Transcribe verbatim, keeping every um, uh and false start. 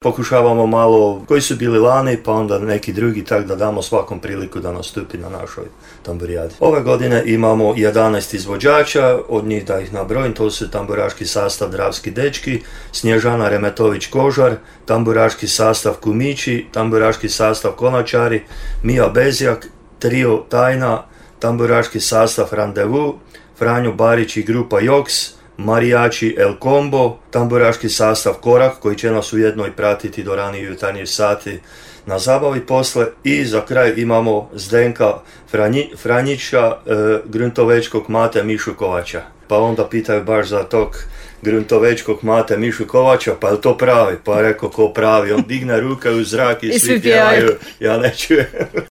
Pokušavamo malo koji su bili lani, pa onda neki drugi, tako da damo svakom priliku da nastupi na našoj tamburijadi. Ove godine imamo jedanaest izvođača, od njih da ih nabrojim, to su tamburaški sastav Dravski dečki, Snježana Remetović-Kožar, tamburaški sastav Kumići, tamburaški sastav Konačari, Mija Bezjak, trio Tajna, tamburaški sastav Randevu, Franjo Barić i grupa Joks, marijači El Combo, tamburaški sastav Korak koji će nas ujedno i pratiti do ranije jutarnjih sati na zabavi posle, i za kraj imamo Zdenka Franji, Franjića, e, gruntovečkog Mate Mišu Kovača. Pa onda pitaju baš za tog gruntovečkog Mate Mišu Kovača, pa je to pravi? Pa rekao, ko pravi? On digne ruke u zrak i, I svi pjevaju, ja ne čujem.